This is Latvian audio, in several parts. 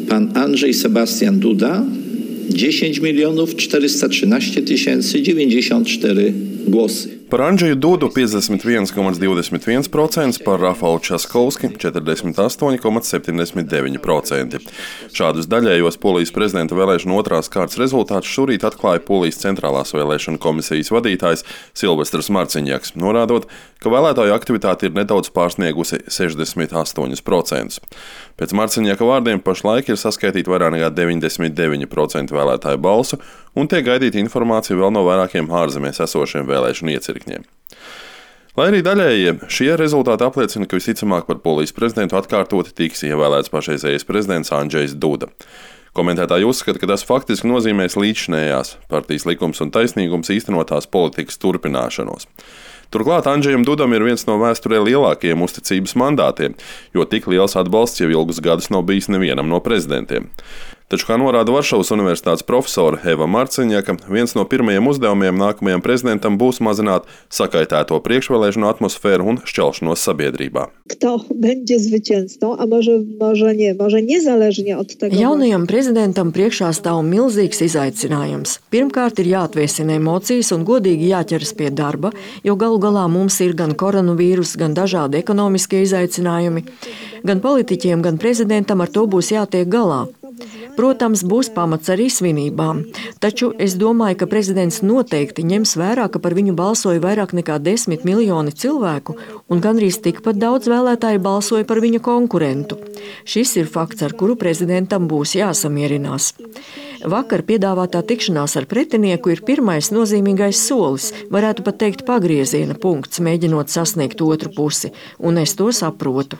pan Andrzej Sebastian Duda 10 413 094 głosy. Par Andžeju Dudu 51,21%, par Rafālu Časkovski 48,79%. Šādus daļējos Polijas prezidenta vēlēšanu otrās kārtas rezultātus šorīt atklāja Polijas centrālās vēlēšanu komisijas vadītājs Silvestrs Marciņjaks, norādot, ka vēlētāju aktivitāte ir nedaudz pārsniegusi 68%. Pēc Marciņjaka vārdiem pašlaik ir saskaitīti vairāk nekā 99% vēlētāju balsu un tiek gaidīta informācija vēl no vairākiem ārzemēs esošiem vēlēšanu iecirkņiem. Lai arī daļējie šie rezultāti apliecina, ka visticamāk par Polijas prezidentu atkārtoti tiks ievēlēts pašreizējais prezidents Andžejs Duda. Komentētāji uzskata, ka tas faktiski nozīmēs līdzšinējās partijas Likums un taisnīgums īstenotās politikas turpināšanos. Turklāt Andžejam Dudam ir viens no vēsturē lielākajiem uzticības mandātiem, jo tik liels atbalsts jau ilgus gadus nav bijis nevienam no prezidentiem. Taču, kā norāda Varšavas universitātes profesora Eva Marciņjaka, viens no pirmajiem uzdevumiem nākamajam prezidentam būs mazināt sakaitēto priekšvēlēšanu atmosfēru un šķelšanos sabiedrībā. Jaunajam prezidentam priekšā stāv milzīgs izaicinājums. Pirmkārt ir jāatviesina emocijas un godīgi jāķeras pie darba, jo galu galā mums ir gan koronavīrus, gan dažādi ekonomiskie izaicinājumi. Gan politiķiem, gan prezidentam ar to būs jātiek galā. Protams, būs pamats arī svinībām, taču es domāju, ka prezidents noteikti ņems vērā, ka par viņu balsoja vairāk nekā 10 miljoni cilvēku un gandrīz tikpat daudz vēlētāju balsoja par viņa konkurentu. Šis ir fakts, ar kuru prezidentam būs jāsamierinās. Vakar piedāvātā tikšanās ar pretinieku ir pirmais nozīmīgais solis, varētu pat teikt pagrieziena punkts, mēģinot sasniegt otru pusi, un es to saprotu.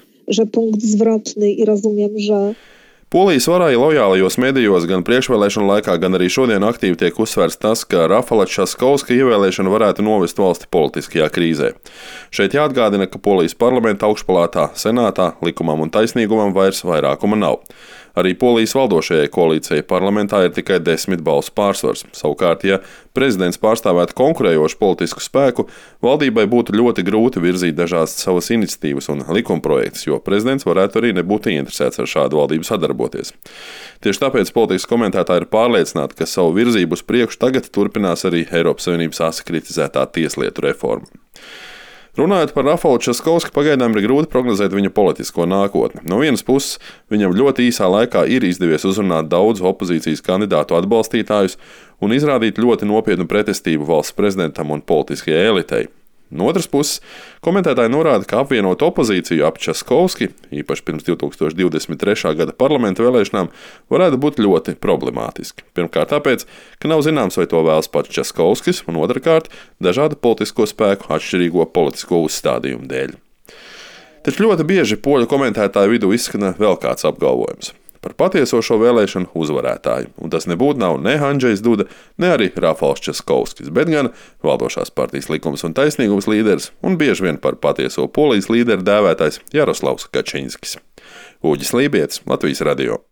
Polijas varai lojālajos medijos gan priekšvēlēšanu laikā, gan arī šodien aktīvi tiek uzsvērts tas, ka Rafāla Časkovska ievēlēšana varētu novest valsti politiskajā krīzē. Šeit jāatgādina, ka Polijas parlamenta augšpalātā, senātā, likumam un taisnīgumam vairs vairākuma nav. Arī Polijas valdošajai koalīcijai parlamentā ir tikai 10 balsu pārsvars. Savukārt, ja prezidents pārstāvētu konkurējošu politisku spēku, valdībai būtu ļoti grūti virzīt dažādas savas iniciatīvas un likumprojektus, jo prezidents varētu arī nebūt ieinteresēts ar šādu valdību sadarboties. Tieši tāpēc politikas komentētāji ir pārliecināti, ka savu virzību uz priekšu tagad turpinās arī Eiropas Savienības asi kritizētā tieslietu reforma. Runājot par Rafālu Časkovski, pagaidām ir grūti prognozēt viņa politisko nākotni. No vienas puses, viņam ļoti īsā laikā ir izdevies uzrunāt daudz opozīcijas kandidātu atbalstītājus un izrādīt ļoti nopietnu pretestību valsts prezidentam un politiskajai elitei. No otras puses, komentētāji norāda, ka apvienot opozīciju ap Časkovski, īpaši pirms 2023. gada parlamenta vēlēšanām, varētu būt ļoti problemātiski. Pirmkārt tāpēc, ka nav zināms, vai to vēlas pats Časkovskis, un otrkārt, dažādu politisko spēku atšķirīgo politisko uzstādījumu dēļ. Taču ļoti bieži poļu komentētāju vidū izskan vēl kāds apgalvojums par patieso šo vēlēšanu uzvarētāju, un tas nebūtu nav ne Andžejs Duda, ne arī Rafāls Časkovskis, bet gan valdošās partijas Likums un taisnīgums līderis un bieži vien par patieso Polijas līderi dēvētais Jaroslavs Kačinskis. Uģis Lībietis, Latvijas radio.